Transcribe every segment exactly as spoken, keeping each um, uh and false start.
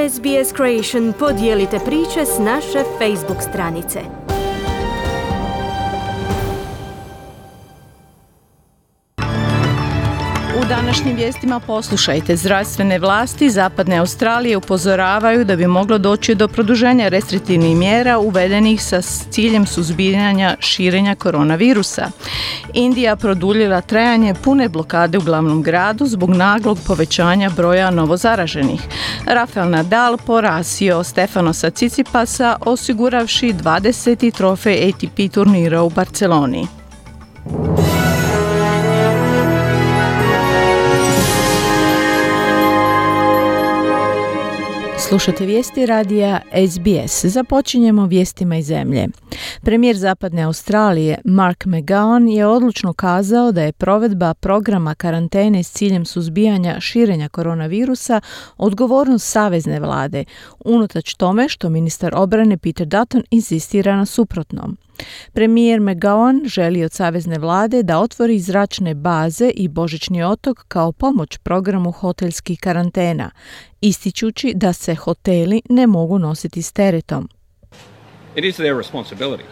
S B S Creation podijelite priče s naše Facebook stranice. U današnjim vijestima poslušajte. Zdravstvene vlasti Zapadne Australije upozoravaju da bi moglo doći do produženja restriktivnih mjera uvedenih sa ciljem suzbijanja širenja koronavirusa. Indija produljila trajanje pune blokade u glavnom gradu zbog naglog povećanja broja novozaraženih. Rafael Nadal porazio Stefanosa Tsitsipasa osiguravši dvadeseti trofej A T P turnira u Barceloni. Slušate vijesti radija S B S. Započinjemo vijestima iz zemlje. Premijer Zapadne Australije Mark McGowan je odlučno kazao da je provedba programa karantene s ciljem suzbijanja širenja koronavirusa odgovornost savezne vlade, unatoč tome što ministar obrane Peter Dutton insistira na suprotnom. Premijer McGowan želi od savezne vlade da otvori zračne baze i Božićni otok kao pomoć programu hotelskih karantena, ističući da se hoteli ne mogu nositi s teretom. It is their responsibility.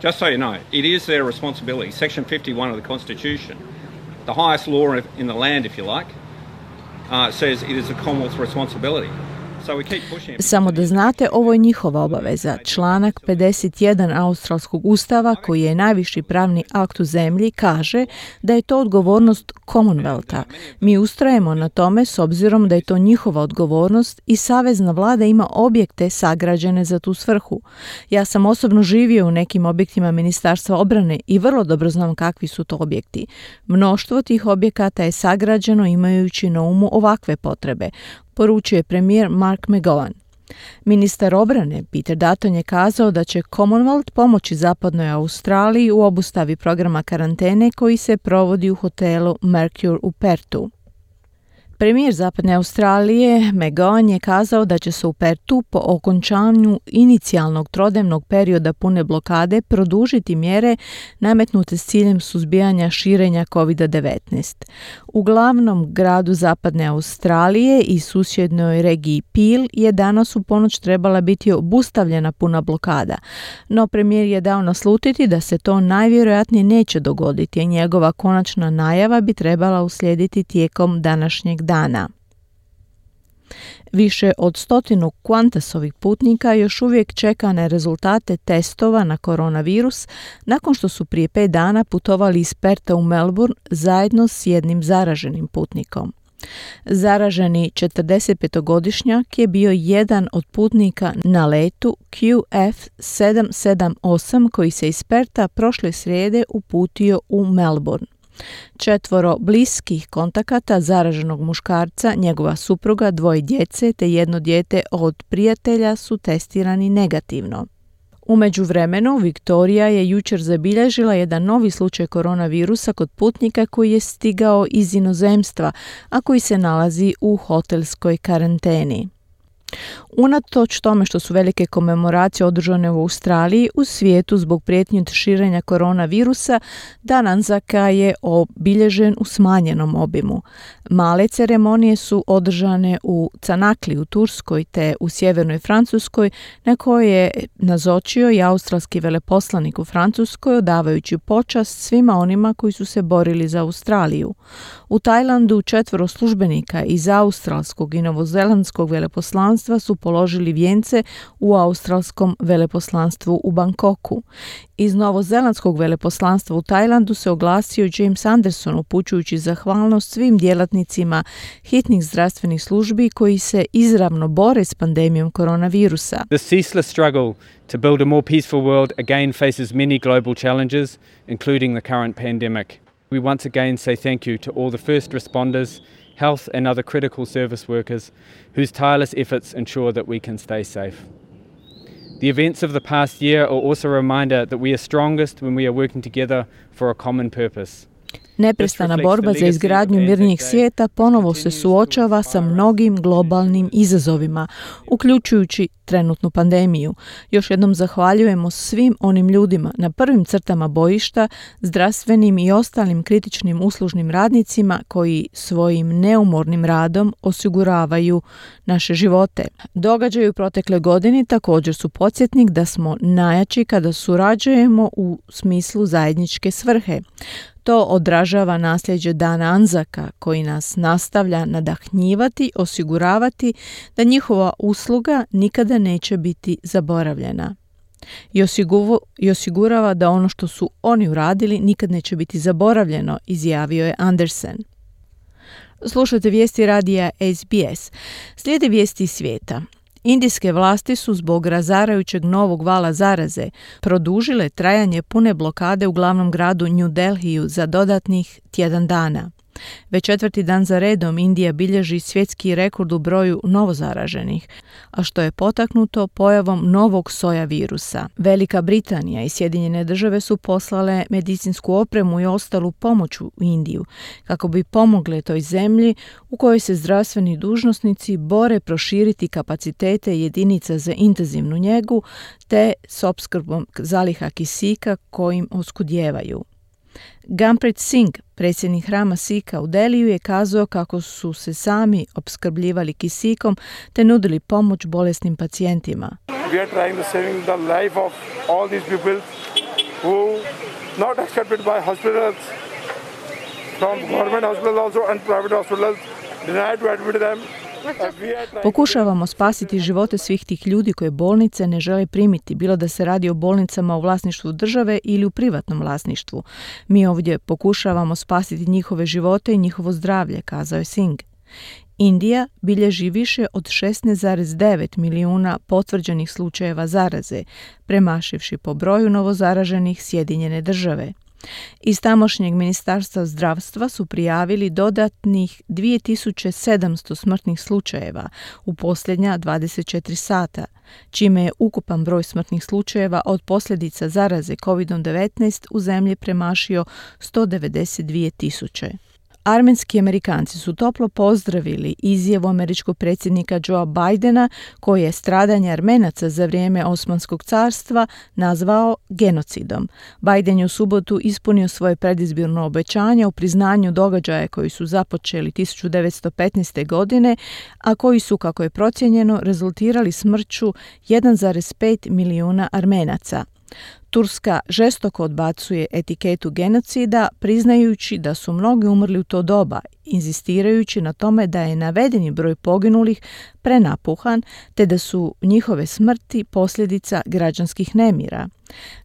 Just so you know, it is their responsibility. Section fifty-one of the Constitution, the highest law in the land, if you like, uh, says it is the Commonwealth's responsibility. Samo da znate, ovo je njihova obaveza. Članak pedeset jedan Australskog ustava, koji je najviši pravni akt u zemlji, kaže da je to odgovornost Commonwealtha. Mi ustrajemo na tome s obzirom da je to njihova odgovornost i savezna vlada ima objekte sagrađene za tu svrhu. Ja sam osobno živio u nekim objektima Ministarstva obrane i vrlo dobro znam kakvi su to objekti. Mnoštvo tih objekata je sagrađeno imajući na umu ovakve potrebe, poručuje premijer Mark McGowan. Ministar obrane Peter Dutton je kazao da će Commonwealth pomoći Zapadnoj Australiji u obustavi programa karantene koji se provodi u hotelu Mercure u Perthu. Premijer Zapadne Australije McGowan je kazao da će se u Perthu po okončanju inicijalnog trodnevnog perioda pune blokade produžiti mjere nametnute s ciljem suzbijanja širenja covid devetnaest. U glavnom gradu Zapadne Australije i susjednoj regiji Peel je danas u ponoć trebala biti obustavljena puna blokada, no premijer je dao naslutiti da se to najvjerojatnije neće dogoditi, a njegova konačna najava bi trebala uslijediti tijekom današnjeg dana. Više od stotinu Qantasovih putnika još uvijek čeka na rezultate testova na koronavirus nakon što su prije pet dana putovali iz Pertha u Melbourne zajedno s jednim zaraženim putnikom. Zaraženi četrdesetpetogodišnjak je bio jedan od putnika na letu Q F sedam sedam osam koji se iz Pertha prošle srijede uputio u Melbourne. Četvoro bliskih kontakata zaraženog muškarca, njegova supruga, dvoje djece te jedno dijete od prijatelja su testirani negativno. U međuvremenu, Viktorija je jučer zabilježila jedan novi slučaj koronavirusa kod putnika koji je stigao iz inozemstva, a koji se nalazi u hotelskoj karanteni. Unatoč tome što su velike komemoracije održane u Australiji, u svijetu zbog prijetnji od širenja koronavirusa, Dan Anzaka je obilježen u smanjenom obimu. Male ceremonije su održane u Canakli u Turskoj te u sjevernoj Francuskoj, na kojoj je nazočio i australski veleposlanik u Francuskoj, odavajući počast svima onima koji su se borili za Australiju. U Tajlandu četvoro službenika iz australskog i novozelandskog veleposlanstva su položili vijence u australskom veleposlanstvu u Bangkoku. Iz novozelandskog veleposlanstva u Tajlandu se oglasio James Anderson upućujući zahvalnost svim djelatnicima hitnih zdravstvenih službi koji se izravno bore s pandemijom koronavirusa. The ceaseless struggle to build a more peaceful world again faces many global challenges, including the current pandemic. We once again say thank you to all the first responders, health and other critical service workers whose tireless efforts ensure that we can stay safe. The events of the past year are also a reminder that we are strongest when we are working together for a common purpose. Neprestana borba za izgradnju mirnijeg svijeta ponovo se suočava sa mnogim globalnim izazovima, uključujući trenutnu pandemiju. Još jednom zahvaljujemo svim onim ljudima na prvim crtama bojišta, zdravstvenim i ostalim kritičnim uslužnim radnicima koji svojim neumornim radom osiguravaju naše živote. Događaji u protekle godini također su podsjetnik da smo najjači kada surađujemo u smislu zajedničke svrhe. To odražava nasljeđe Dana Anzaka koji nas nastavlja nadahnjivati, osiguravati da njihova usluga nikada neće biti zaboravljena. I, osiguvu, I osigurava da ono što su oni uradili nikad neće biti zaboravljeno, izjavio je Andersen. Slušajte vijesti radija S B S. Slijede vijesti iz svijeta. Indijske vlasti su zbog razarajućeg novog vala zaraze produžile trajanje pune blokade u glavnom gradu New Delhiju za dodatnih tjedan dana. Već četvrti dan za redom Indija bilježi svjetski rekord u broju novozaraženih, a što je potaknuto pojavom novog soja virusa. Velika Britanija i Sjedinjene države su poslale medicinsku opremu i ostalu pomoć u Indiju kako bi pomogle toj zemlji u kojoj se zdravstveni dužnosnici bore proširiti kapacitete jedinica za intenzivnu njegu te s opskrbom zaliha kisika kojim oskudijevaju. Gurpreet Singh, predsjednik hrama Sikha u Delhiju, je kazao kako su se sami opskrbljivali kisikom te nudili pomoć bolesnim pacijentima. We are trying to saving the life of all these people who not accepted by hospitals, from government hospitals also and private hospitals, denied to admit them. Pokušavamo spasiti živote svih tih ljudi koje bolnice ne žele primiti, bilo da se radi o bolnicama u vlasništvu države ili u privatnom vlasništvu. Mi ovdje pokušavamo spasiti njihove živote i njihovo zdravlje, kazao je Singh. Indija bilježi više od šesnaest zarez devet milijuna potvrđenih slučajeva zaraze, premašivši po broju novozaraženih Sjedinjene države. Iz tamošnjeg ministarstva zdravstva su prijavili dodatnih dvije tisuće sedamsto smrtnih slučajeva u posljednja dvadeset četiri sata, čime je ukupan broj smrtnih slučajeva od posljedica zaraze kovid devetnaest u zemlji premašio sto devedeset dvije tisuće. Armenski Amerikanci su toplo pozdravili izjavu američkog predsjednika Joea Bidena koji je stradanje Armenaca za vrijeme Osmanskog carstva nazvao genocidom. Biden je u subotu ispunio svoje predizborno obećanje u priznanju događaja koji su započeli tisuću devetsto petnaeste. godine, a koji su, kako je procijenjeno, rezultirali smrću jedan zarez pet milijuna Armenaca. Turska žestoko odbacuje etiketu genocida, priznajući da su mnogi umrli u to doba, inzistirajući na tome da je navedeni broj poginulih prenapuhan, te da su njihove smrti posljedica građanskih nemira.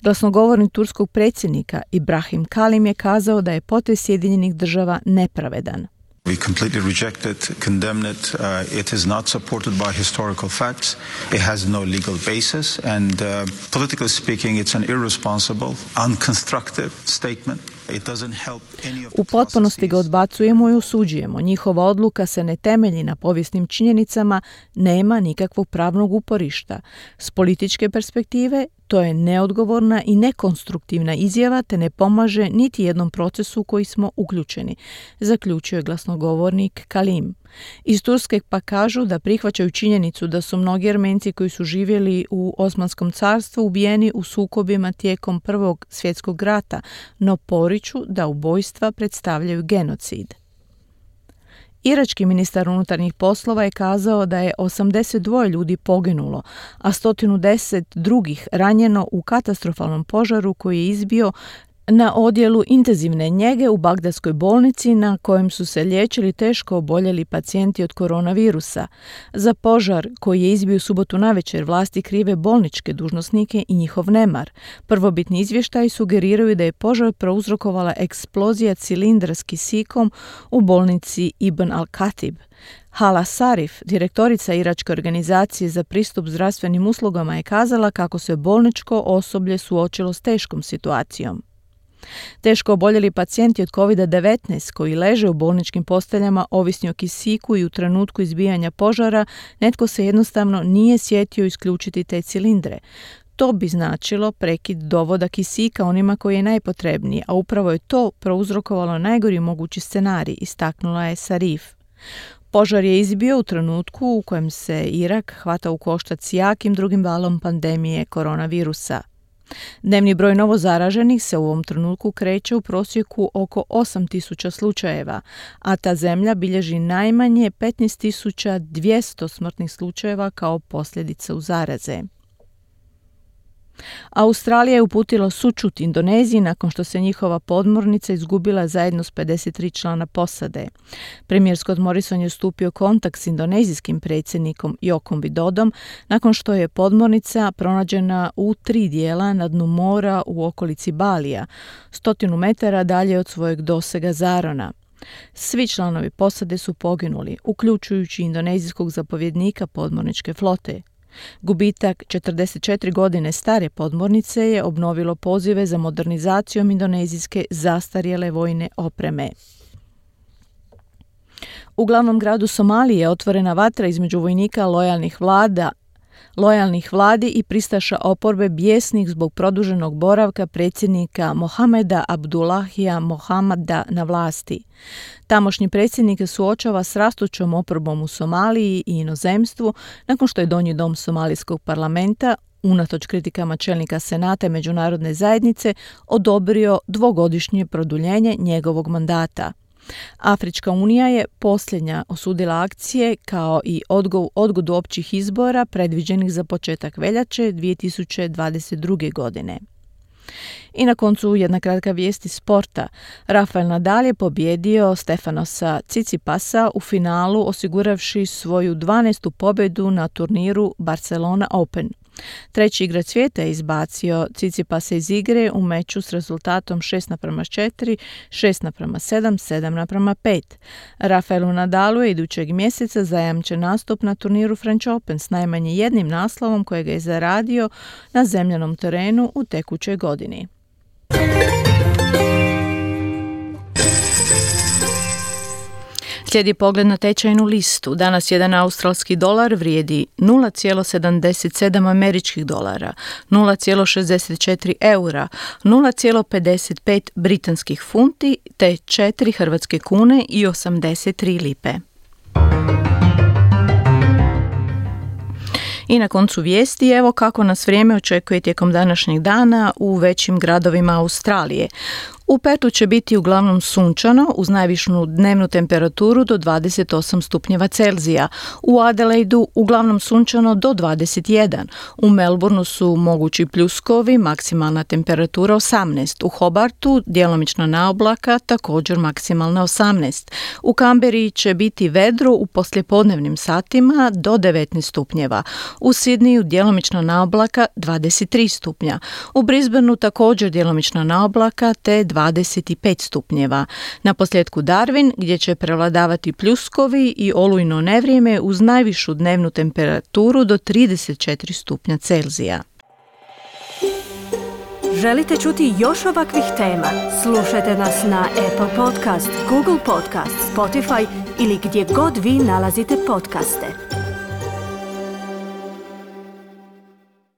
Glasnogovornik turskog predsjednika Ibrahim Kalim je kazao da je potez Sjedinjenih država nepravedan. We completely reject it, condemn it. Uh, it is not supported by historical facts. It has no legal basis. And uh, politically speaking, it's an irresponsible, unconstructive statement. It doesn't help any of the U potpunosti ga odbacujemo i osuđujemo. Njihova odluka se ne temelji na povijesnim činjenicama, nema nikakvog pravnog uporišta. S političke perspektive, to je neodgovorna i nekonstruktivna izjava te ne pomaže niti jednom procesu u koji smo uključeni, zaključio je glasnogovornik Kalim. Iz Turske pa kažu da prihvaćaju činjenicu da su mnogi Armenci koji su živjeli u Osmanskom carstvu ubijeni u sukobima tijekom Prvog svjetskog rata, no poriču da ubojstva predstavljaju genocid. Irački ministar unutarnjih poslova je kazao da je osamdeset dva ljudi poginulo, a sto deset drugih ranjeno u katastrofalnom požaru koji je izbio na odjelu intenzivne njege u Bagdadskoj bolnici na kojem su se liječili teško oboljeli pacijenti od koronavirusa. Za požar koji je izbio u subotu navečer vlasti krive bolničke dužnosnike i njihov nemar. Prvobitni izvještaji sugeriraju da je požar prouzrokovala eksplozija cilindra s kisikom u bolnici Ibn al-Khatib. Hala Sarif, direktorica Iračke organizacije za pristup zdravstvenim uslugama, je kazala kako se bolničko osoblje suočilo s teškom situacijom. Teško oboljeli pacijenti od kovid devetnaest koji leže u bolničkim posteljama ovisni o kisiku i u trenutku izbijanja požara, netko se jednostavno nije sjetio isključiti te cilindre. To bi značilo prekid dovoda kisika onima koji je najpotrebniji, a upravo je to prouzrokovalo najgori mogući scenarij, istaknula je Sarif. Požar je izbio u trenutku u kojem se Irak hvata u koštac s jakim drugim valom pandemije koronavirusa. Dnevni broj novozaraženih se u ovom trenutku kreće u prosjeku oko osam tisuća slučajeva, a ta zemlja bilježi najmanje petnaest tisuća dvjesto smrtnih slučajeva kao posljedica u zaraze. Australija je uputila sućut Indoneziji nakon što se njihova podmornica izgubila zajedno s pedeset tri člana posade. Premijer Scott Morrison je stupio kontakt s indonezijskim predsjednikom Jokom Widodom nakon što je podmornica pronađena u tri dijela na dnu mora u okolici Balija, stotinu metara dalje od svojeg dosega Zarona. Svi članovi posade su poginuli, uključujući indonezijskog zapovjednika podmorničke flote. Gubitak četrdeset četiri godine stare podmornice je obnovilo pozive za modernizacijom indonezijske zastarjele vojne opreme. U glavnom gradu Somalije je otvorena vatra između vojnika lojalnih vlada lojalnih vladi i pristaša oporbe bijesnih zbog produženog boravka predsjednika Mohameda Abdullahija Mohamada na vlasti. Tamošnji predsjednik se suočava s rastućom oporbom u Somaliji i inozemstvu nakon što je Donji dom somalijskog parlamenta, unatoč kritikama čelnika Senata i međunarodne zajednice, odobrio dvogodišnje produljenje njegovog mandata. Afrička unija je posljednja osudila akcije kao i odgo, odgodu općih izbora predviđenih za početak veljače dvije tisuće dvadeset druge. godine. I na koncu jedna kratka vijest iz sporta. Rafael Nadal je pobjedio Stefanosa Tsitsipasa u finalu osiguravši svoju dvanaestu pobjedu na turniru Barcelona Open. Treći igrač svijeta je izbacio Tsitsipasa iz igre u meču s rezultatom šest naprama četiri, šest naprama sedam, sedam naprama pet. Rafaelu Nadalu je idućeg mjeseca zajamčen nastup na turniru French Open s najmanje jednim naslovom kojeg je zaradio na zemljanom terenu u tekućoj godini. Slijedi pogled na tečajnu listu. Danas jedan australski dolar vrijedi nula zarez sedamdeset sedam američkih dolara, nula zarez šezdeset četiri eura, nula zarez pedeset pet britanskih funti te četiri hrvatske kune i osamdeset tri lipe. I na koncu vijesti, evo kako nas vrijeme očekuje tijekom današnjeg dana u većim gradovima Australije. U Pertu će biti uglavnom sunčano uz najvišu dnevnu temperaturu do dvadeset osam stupnjeva Celzija. U Adelaidu uglavnom sunčano do dvadeset jedan. U Melbourneu su mogući pljuskovi, maksimalna temperatura osamnaest. U Hobartu djelomična naoblaka, također maksimalna osamnaest. U Canberri će biti vedro u poslijepodnevnim satima do devetnaest stupnjeva. U Sydneyu djelomična naoblaka dvadeset tri stupnja. U Brisbaneu također djelomična naoblaka te dvadeset pet stupnjeva. Na posljedku Darwin gdje će prevladavati pljuskovi i olujno nevrijeme uz najvišu dnevnu temperaturu do trideset četiri stupnja Celzija. Želite čuti još ovakvih tema? Slušajte nas na Apple Podcast, Google Podcast, Spotify ili gdje god vi nalazite podcaste.